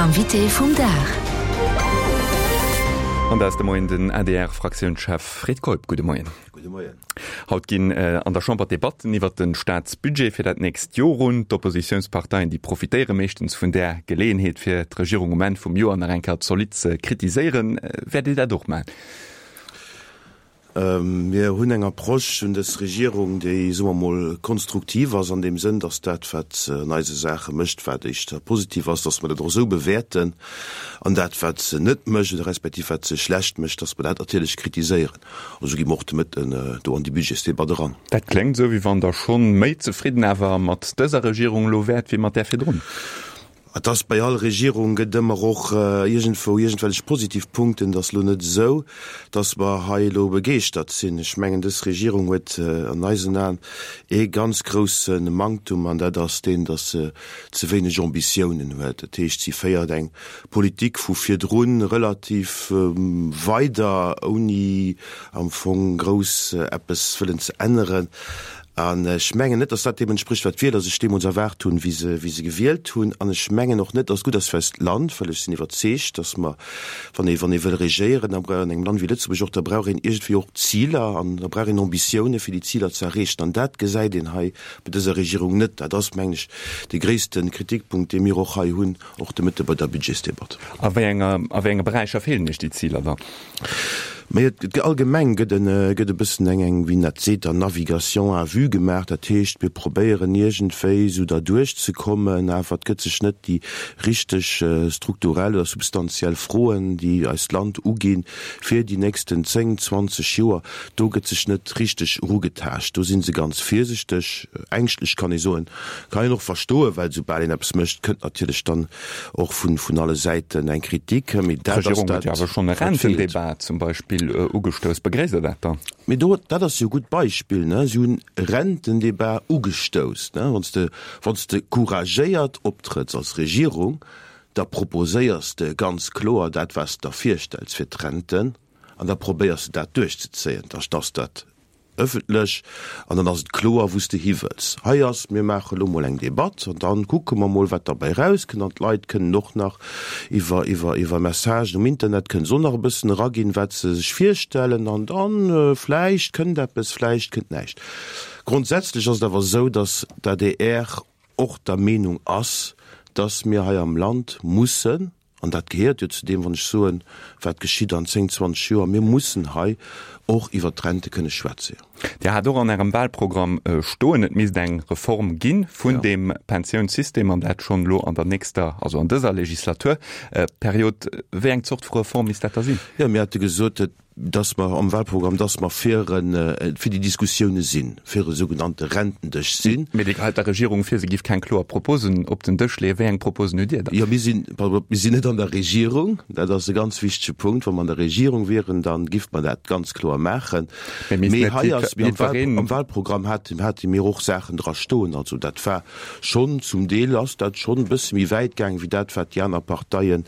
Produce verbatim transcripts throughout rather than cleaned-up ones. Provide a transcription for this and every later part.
Invité vum Dag. An dat ass de Moien den A D R-Fraktiounschef Fred Keup. Gudde Moien. Gudde Moien. Haut ginn an der Chamber d'Debatten iwwert de Staatsbudget fir dat nächst Joer un. D'Oppositiounsparteien, déi profitéiere meeschtens vun där Geleeënheet, fir d'Regierung um Enn vum Joer nach eng Kéier zolidd ze kritiséieren. Wäert Dir dat och maachen? Mir hunn eng Approche un dës Regierung, déi, soe mer mol, konstruktiv ass an deem Sënn, datt dat, wat se an eise Saache mécht, wat éischter positiv ass, datt mer dat och esou bewäerten, an dat, wat se net mécht oder respektiv wat se schlecht mécht, datt mer dat natierlech kritiséieren. An esou gi mer och de Mëtten do an déi Budgetsdebatt eran. Dat kléngt esou, wéi wann Der schonn méi zefridden awer mat dëser Regierung elo wäert wéi mat där virdrun. Et ass bei all Regierung gëtt ëmmer och iergendwou iergendwellech positiv Punkten. Et ass elo net esou, datt mer hei elo begeeschtert sinn. Ech mengen, dës Regierung huet an eisen Aen ee ganz grousse Manktum, an dat ass deen, datt se ze wéineg Ambitiounen huet. Dat heescht, si féiert eng Politik vu virdrun relativ weider, ouni am Fong grouss eppes wëllen ze änneren. An ech mengen net, datt dat deem entsprécht, wat d'Wieler sech deemools erwaart hunn, wéi se, wéi se gewielt hunn. An ech mengen och net, datt et gutt ass fir eist Land, well ech sinn iwwerzeegt, datt mer, wann ee, wann ee wëll regéieren, da brauch an engem Land wéi Lëtzebuerg och, da brauch een iergendwéi och Ziler an da brauch een Ambitiounen, fir déi Ziler ze erreechen. An dat gesäit een hei bei dëser Regierung net. Dat ass, mengen ech, dee gréisste Kritikpunkt, dee mir och hei hunn, och de Mëtte bei der Budgetsdebatt. A wéi enger, a wéi enge Beräicher feelen Iech déi Ziler dann? Mee et allgemeng gëtt en, gëtt e bëssen eng, eng, wéi een dat seet, dann Navigation à vue gemaach. Dat heescht, mir probéieren iergendwéi esou derduerch ze kommen, awer et gëtt sech net déi richteg strukturell oder substantiell Froen, déi eist Land uginn, fir déi nächsten zéng, zwanzeg Joer, do gëtt sech net richteg erugetaascht. Do si se ganz virsichteg, ängschtlech kann ee soen. Kann een och verstoen, well soubal een eppes mécht, kënnt natierlech dann och vun, vun alle Säiten eng Kritik. Mee dat ass D'Regierung huet dat, jo awer schonn e wat feelt. Rentendebat zum Beispill ugestouss. Begréisst Der dat dann? Mee do, dat ass jo e gutt Beispill, ne? Si hunn e Rentendebat ugestouss, ne? Wann s de, wann s de couragéiert optrëtts als Regierung, da proposéiers de ganz kloer dat, wat s de der virstells fir d'Renten, an da probéiers de dat duerchzezéien. Da ass dat ëffentlech an dann ass et kloer, wou s de hi wëlls. Hei ass, mir maache lo mol eng Debatt an dann kucke mer mol, wat derbäi erauskënnt. An d'Leit kënnen och nach iwwer, iwwer, iwwer Messagen um Internet kënnen se och nach e bëssen eraginn, wat se sech virstellen. An dann vläicht kënnt eppes, vläicht kënnt näischt. Grondsätzlech ass et awer esou, datt d'A D R och der Meenung ass, datt mir hei am Land mussen, an dat gehéiert jo zu deem, wann ech soen, wat geschitt an zéng, zwanzeg Joer, mir mussen hei och iwwert d'Rente kënne schwätzen. Dir hat och an Ärem Wahlprogramm stoen, et misst eng Reform gi vun deem Pensiounssystem, an dat schonn elo an der nächster, also an dëser Legislaturperiod. Wéi eng Zort vu Reform misst dat da sinn? Jo, mir hate gesot, dass mer am Wahlprogramm, dass mer fir en, fir déi Diskussioune sinn, fir e sougenannte Rentendësch sinn. Mee Dir gehäit der Regierung vir, se giff keng kloer Proposen op den Dësch leeën. Wéi eng Proposen hutt Dir dann? Jo, mir sinn, pardon, mir sinn net an der Regierung. Dat ass e ganz wichtege Punkt. Wa mer an der Regierung wieren, da giff mer dat ganz kloer maachen. Mee misst Mee net hei ass, mir am Wahl, jiddwereen. am Wahlprogramm hate, hate mir och Saachen dra stoen. Also dat war schonn, zum Deel ass dat schonn e bësse méi wäit gaang wéi dat, wat déi aner Parteien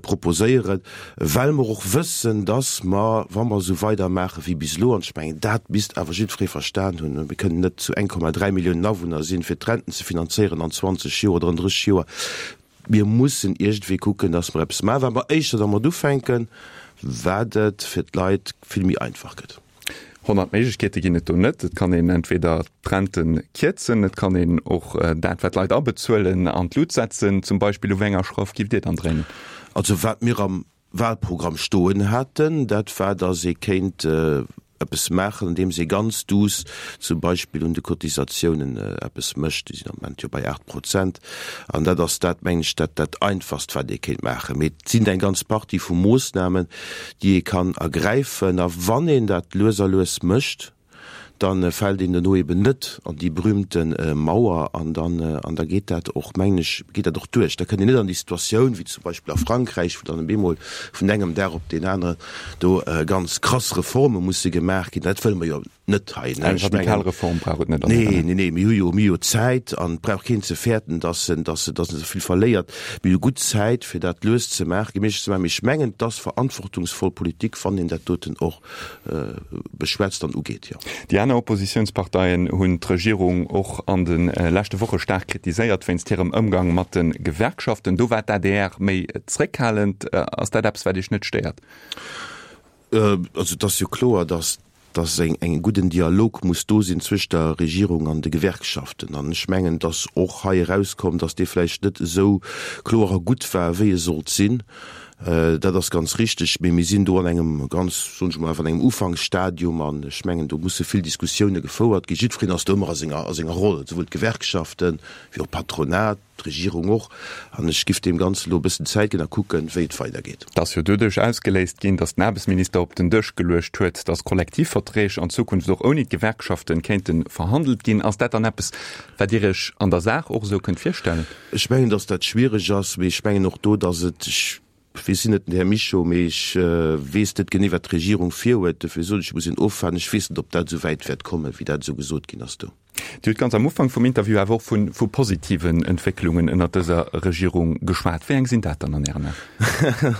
proposéieren, well mer och wëssen, dass mer, wa mer esou weidermaache wéi bis elo, an ech mengen, dat misst awer jiddweree verstan hunn, mir kënnen net zu eng Komma dräi Milliounen Awunner sinn, fir d'Renten ze finanzéieren an zwanzeg Joer oder an drësseg Joer. Mir mussen iergendwéi kucken, dass mer eppes maachen. Wat mer éischter dermat ufänken, wat et fir d'Leit vill méi einfach gëtt. Honnert Méiglechkeete ginn et do net. Et kann een entweder d'Rente kierzen, et kann een och dat, wat d'Leit abezuelen, an d'Lut setzen zum Beispill. U wéi enger Schrauf giff Dir dann dréinen? Also wat mir am Wahlprogramm stoen haten, dat war, datt ee kéint eppes maachen, andeems ee ganz duuss zum Beispill un de Cotisatiounen eppes mécht. Déi sinn am Moment jo bei aacht Prozent. An dat ass dat, mengen ech, dat dat Einfachst, wat ee kéint maachen. Mee et sinn eng ganz Partie vu Moossnamen, déi ee kann ergräifen. A wann een dat lues a lues mécht, da fält een duerno eben net an déi berühmte Mauer an dann, an da geet dat och, mengen ech, geet dat och duerch. Da kënnt een net an déi Situatioun wéi zum Beispill a Frankräich, wou dann op eemol vun engem Dag op deen aneren do ganz krass Reforme musse gemaach ginn. Dat wëlle mer jo net hei. Eng radikal Reform brauch et net. Nee, nee, nee, mir hu jo, mir hu jo Zäit an et brauch keen ze fäerten, dass en, dass en, dass en ze vill verléiert. Mir hu gutt Zäit, fir dat lues ze maachen, geméiglech ze maachen. Mee ech mengen, et ass verantwortungsvoll Politik, wann een dat doten och beschwätzt an ugeet, jo. Déi aner Oppositiounsparteien hunn d'Regierung och an de leschte Woche staark kritiséiert wéinst hirem Ëmgang mat de Gewerkschaften. Do war d'ADR méi zréckhalend. Ass dat eppes, wat Iech net stéiert? Also et ass jo kloer, datt datt eng eng gudden Dialog muss do sinn zwëscht der Regierung an de Gewerkschaften. An ech mengen, datt och hei erauskomm, datt dee vläicht net esou kloer a gutt war, wéi e sollt sinn. Dat ass ganz richtig. Mee mir sinn do an engem ganz, soen ech emol einfach, an engem Ufanksstadium an ech mengen, do musse vill Diskussioune gefouert ginn. Jiddwereen ass do ëmmer a senger a senger Roll, souwuel d'Gewerkschaften wéi och d'Patronat. D'Regierung och. An ech giff deem Ganzen elo e bëssen Zäit ginn a kucken, wéi et weidergeet. Et ass jo doduerch ausgeléist ginn, datt den Aarbechtsminister op den Dësch geluecht huet, datt Kollektivverträg an Zukunft och ouni d'Gewerkschaften kéinte verhandelt ginn. Ass dat dann eppes, wat Dir Iech an der Saach och esou kënnt virstellen? Ech mengen, datt dat schwiereg ass, mee ech mengen och do, datt et, ech weess sinn net den Här Mischo, mee ech weess net genee, wat d'Regierung virhuet, dofir soen ech, ech muss een ofwaarden. Ech weess net, ob dat esou wäit wäert kommen, wéi dat esou gesot ginn ass do. Dir hutt ganz am Ufank vum Interview awer och vu vu positiven Entwécklungen ënnert dëser Regierung geschwat. Wéi eng sinn dat dann an Ären Aen?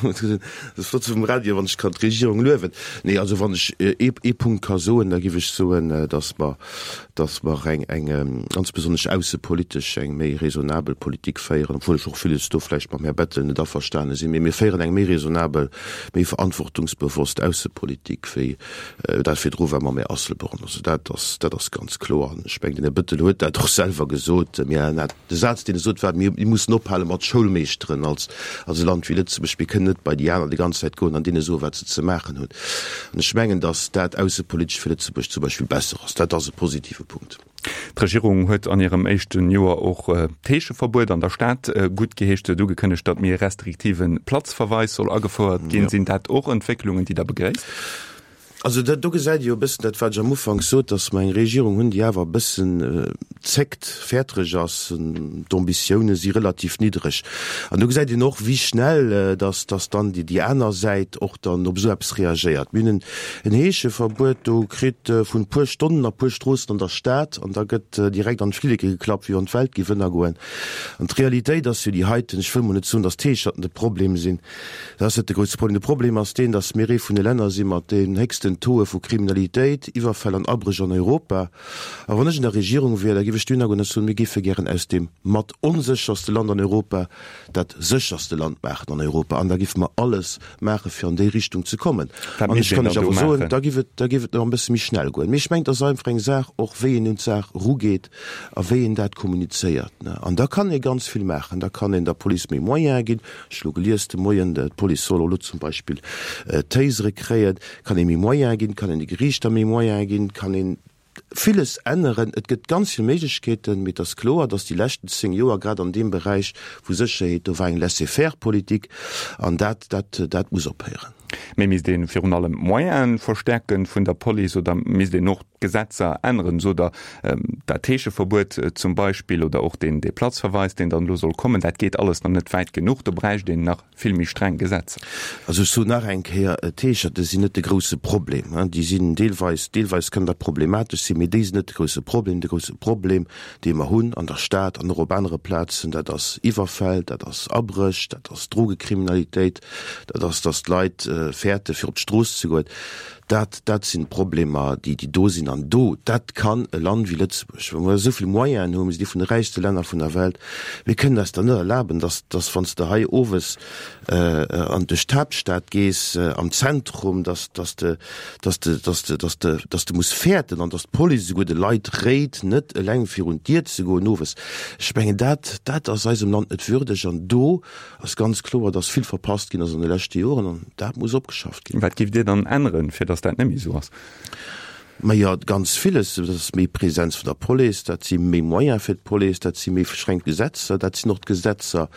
Dat ass flott um Radio, wann ech kann d'Regierung luewen. Nee, also wann ech ee ee Punkt ka soen, da géif ech soen, datt mer, datt mer eng eng ganz besonnesch aussepolitesch eng méi raisonnabel Politik féieren, obwuel ech och villes do vläicht mam Här Bettel net averstane sinn, mee mir féieren eng méi raisonnabel, méi verantwortungsbewosst Aussepolitik wéi dat virdru war mam Här Asselborn. Also dat ass, dat ass ganz kloer. An ech mengen, den Här Bettel huet dat och selwer gesot. Mir, de Saz, deen e sot, war, Mir mussen ophale mat Schoulmeeschteren als, als e Land wéi Lëtzebuerg. Mir kënnen net bei déi aner déi ganz Zäit goen an deene soen, wat se ze maachen hunn. An ech mengen, datt dat aussepolitesch fir Lëtzebuerg zum Beispill besser ass. Dat ass e positive Punkt. D'Regierung huet an hirem éischte Joer och d'Heescheverbuet an der Stad guttgeheescht. Se huet ugekënnegt, datt méi e restriktive Platzverweis soll agefouert ginn. Sinn dat och Entwécklungen, déi Der begréisst? Also dat do gesäit ee jo e bëssen dat, wat ech am Ufank sot, datt mer eng Regierung hunn, déi awer e bëssen zéckt, fäertereg ass. D'Ambitioune si relativ niddreg. An do gesäit een och, wéi schnell datt datt dann déi aner Säit och dann op esou eppes reagéiert. Mir hunn en Heescheverbuet do kritt vun e puer Stonnen a puer Stroossen an der Stad an da gëtt direkt an d'Flilleke geklappt, wéi wann d'Welt géif ënnergoen. An d'Realitéit ass jo déi heiten, ech wëll mol net soen, datt d'Heescherten de Problem sinn, Dat ass net de grousse Problem. De Problem ass deen, datt mir ee vun de Länner si mat den héchsten Tauxe vu Kriminalitéit, Iwwerfäll an Abréch an Europa. A wann ech an der Regierung wier, da géif ech dohinner goen a soen, mir géife gären aus deem mat onsécherste Land an Europa dat sécherste Land maachen an Europa. An da géife mer alles maache fir an déi Richtung ze kommen. Wat An misst ech een kann dann lech do awer soen, maachen? da géif et, da géif et nach e bësse méi schnell goen. Mee ech mengen, et ass einfach eng Saach och, wéi een un d'Saach erugeet a wéi een dat kommunizéiert. An da kann ee ganz vill maachen. Da kann een der Police méi Moyene ginn. Ech hu lo gelies de Moien, d'Police soll och elo zum Beispill Tasere kréien. Kann ee méi Moyene ginn, kann een de Geriichter méi Moyene ginn, kann een villes änneren. Et gëtt ganz vill Méiglechkeeten, mee et ass kloer, datt déi leschten zéng Joer grad an deem Beräich vu Sécherheet, do war eng Laisser-faire-Politik an dat, dat, dat muss ophéieren. Mee misst ee virun allem d'Moyene verstärken vun der Police oder misst een och d'Gesetzer änneren, sot Der, dat Heescheverbuet zum Beispill oder och deen dee Platzverweis, deen dann elo soll kommen, dat geet alles nach net wäit genuch, do bräicht een nach vill méi streng Gesetzer. Also ech soen nach eng Kéier, d'Heescherte sinn net de grouse Problem. Déi sinn deelweis, deelweis kënnen dat problematesch sinn, mee déi sinn net de grouse Problem. De grouse Problem, dee mer hunn an der Stad an och op anere Plazen, dat ass Iwwerfäll, dat ass Abréch, dat ass Drogekriminalitéit, dat ass, datt d'Leit fäerte fir op d'Strooss ze goen. Dat, dat sinn d'Problemer, déi, déi do sinn. An do, dat kann e Land wéi Lëtzebuerg, wou mer esou vill Moyenen hunn, mir sinn ee vun de räichste Länner vun der Welt, mir kënnen eis dat net erlaben, dass, dass wann s de hei owes an duerch d'Haaptstad gees, am Zentrum, dass, dass de, dass de, dass de, dass de, dass de muss fäerten an dass d'Police esouguer de Leit réit, net eleng virun d'Dier ze goen owes. Ech mengen, dat, dat ass eisem Land net würdeg. An do ass ganz kloer, dass vill verpasst ginn ass an de leschte Joren an dat muss opgeschafft ginn. Wat géift Dir dann änneren, fir dass dat net méi esou ass? Majo, ganz villes. Dat ass méi Präsenz vun der Police, dat si méi Moyene fir d'Police, dat si méi streng Gesetzer, dat sinn och d'Gesetzer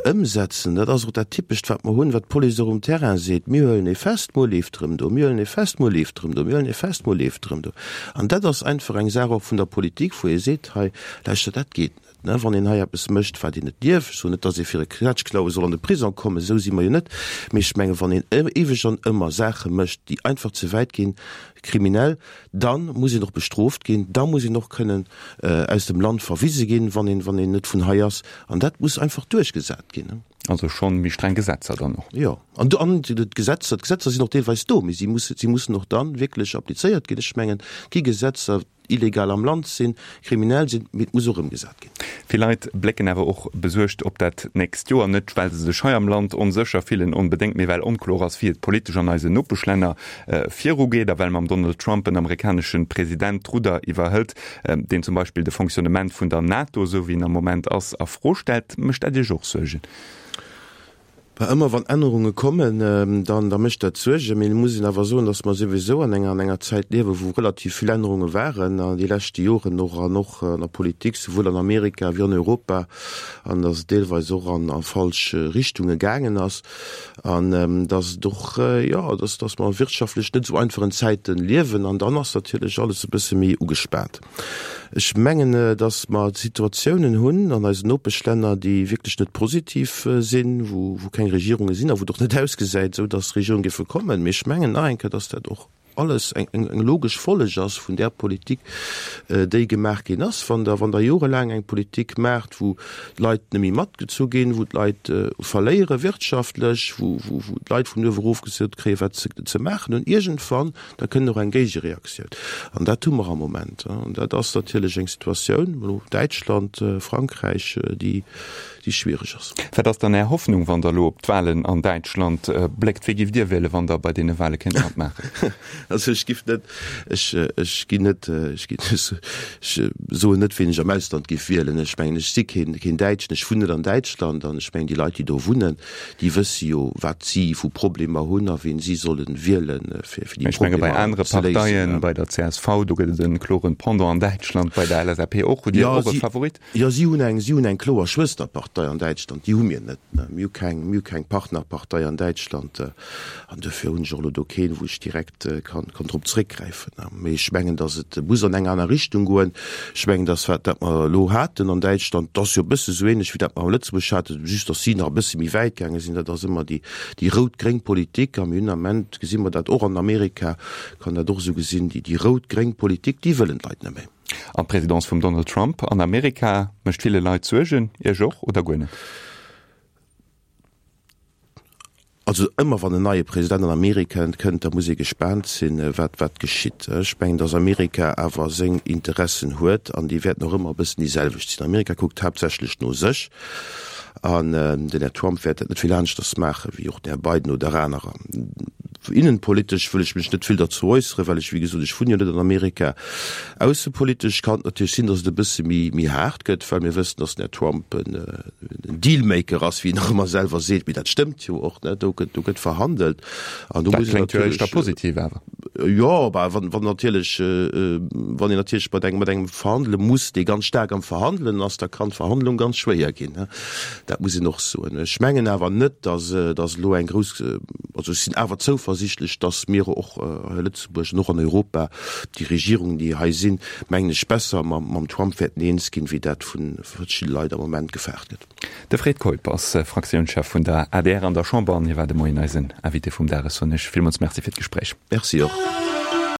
ëmsetzen. Dat ass och dat Typescht, wat mer hunn, wat d'Police och um Terrain seet, Mir huelen ee fest, muer leeft erëm do, mir huelen ee fest, muer leeft erëm do, mir huelen ee fest, muer leeft erëm do. An dat ass einfach eng Saach och vun der Politik, wou ee seet, hei, lauschtert, dat geet net. Ne, wann een hei eppes mécht, wat een net dierf, ech soen net, datt ee fir e Knätschklaue soll an de Prisong kommen, esou si mer jo net, mee ech mengen, wann een éiweg an ëmmer Saache mécht, déi einfach ze wäit ginn, kriminell, dann muss een och bestrooft ginn, da muss een och kënnen aus dem Land verwise ginn, wann een, wann een net vun hei ass. An dat muss einfach duerchgesat ginn. Also schonn méi streng Gesetzer dann och. Jo, an an d'Gesetzer, d'Gesetzer sinn och deelweis do, mee si musse, si mussen och dann wierklech applizéiert ginn. Ech mengen, et gi Gesetzer, illegal am Land sinn, kriminell sinn, mee et muss och ëmgesat ginn. Vill Leit blécken awer och besuergt op dat nächst Joer, net well se sech hei am Land onsécher fillen onbedéngt, mee well onkloer ass, wéi et politesch an eisen Nopeschlänner virugeet a well mam Donald Trump en amerikanesche President d'Rudder iwwerhëlt, deen zum Beispill de Fonctionnement vun der NATO, esou wéi en am Moment ass, a Fro stellt. Mécht dat Iech och Suergen? Bah, ëmmer wann Ännerunge kommen, dann da mécht dat Suergen. Mee et muss een awer soen, datt mer souwisou an enger an enger Zäit liewen, wou relativ vill Ännerunge waren an déi leschte Joren och an och an der Politik, souwuel an Amerika wéi an Europa, an datt et deelweis och an a falsch Richtunge gaangen ass an datt et och, jo, datt datt mer wirtschaftlech net esou einfachen Zäite liewen an dann ass natierlech alles e bësse méi ugespaant. Ech mengen, datt mer Situatiounen hunn an eisen Nopeschlänner, déi wierklech net positiv sinn, wou keng Regierunge sinn a wou et och net ausgesäit, esou datt Regierunge géife kommen. Mee ech mengen nach eng Kéier, datt dat och alles eng logesch Folleg ass vun där Politik, déi gemaach ginn ass. Wann Der, wann Der jorelaang eng Politik maacht, wou d'Leit net méi matgezu ginn, wou d'Leit verléiere wirtschaftlech, wou d'Leit vun uewe erof gesot kréien, wat se ze maachen hunn, iergendwann Da kënnt och eng Géigereaktioun. An dat hu mer am Moment. An dat ass natierlech eng Situatioun, elo Däitschland, Frankräich, déi schwiereg ass. Wat ass dann Är Hoffnung, wann Der elo op d'Wahlen an Däitschland bléckt? Wee giff Dir wielen, wann Der bei deene Wahle kéint matmaachen? Also ech giff net, ech, ech ginn net, ech ginn, ech soen net, ween ech am Ausland giff wielen. Ech mengen, ech si keen, keen Däitschen, ech wunnen net an Däitschland an ech mengen, déi Leit, déi do wunnen, déi wësse jo, wat si vu Problemer hunn a wien si solle wielen, fir déi Ech menge bei Problemer anere ze léisen. Parteien, bei der C S V, do gëtt et e kloren Pendant an Däitschland, bei der L S A P och. Hutt Dir Jo, och e si, Favorit? jo, si hunn eng, si hunn eng kloer Schwësterpartei an Däitschland, déi hu mir net. Mir hu keng, mir hu keng Partnerpartei an Däitschland an duerfir hunn ech och elo do keen, wou ech direkt kann, kann drop zréckgräifen. Mee ech mengen, datt et muss an eng aner Richtung goen. Ech mengen, datt wat dat mer elo haten an Däitschland, dat ass jo e bësse sou ähnlech wéi dat mer a Lëtzebuerg haten, just datt si nach e bësse méi wäit gaange sinn. Dat ass ëmmer déi, déi rout-gréng Politik a mir hunn am Ament, gesi mer dat och an Amerika, kann dat och esou gesinn, déi, déi rout-gréng Politik, déi wëllen d'Leit net méi. An d'Presidence vum Donald Trump an Amerika mécht ville Leit Suergen, Iech och oder guer net? Also ëmmer wann en neie President an Amerika kënnt, da muss ee gespaant sinn, wat wat geschitt. Ech mengen, datt Amerika awer seng Interessen huet an déi wäerten och ëmmer e bëssen déi selwecht sinn. Amerika kuckt haaptsächlech no sech an den Här Trump wäert dat net vill aneschters maache wéi och den Här Biden oder anerer. Innenpolitesch wëll ech mech net vill derzou äusseren, well ech, wéi gesot, ech wunnen jo net an Amerika. Aussepolitesch kann et natierlech sinn, datt et e bësse méi méi haart gëtt, well mir wëssen, datt den Här Trump en Dealmaker ass, wéi en och ëmmer selwer seet. Mee dat stëmmt jo och, ne? Do gëtt do gëtt verhandelt an do muss Dat een kléngt jo natierlech, éischter positiv awer. Jo, bah, wann wann natierlech wann een natierlech mat engem mat engem verhandele muss, dee ganz staark am Verhandelen ass, da kann d'Verhandlung ganz schwéier ginn, ne? Dat muss een och soen. Ech mengen awer net, datt datt elo eng grouss, also ech sinn awer zouversiichtlech, datt mir och hei a Lëtzebuerg an och an Europa, déi Regierungen, déi hei sinn, mengen ech, besser mam mam Trump wäerten eens ginn, wéi dat vu verschidde Leit am Moment gefaart gëtt. De Fred Keup ass Fraktiounschef vun der A D R an der Chamber an hie war de Moien eisen Invité vum Dag. Ech soen Iech villmools Merci fir d'Gespréich. Merci och.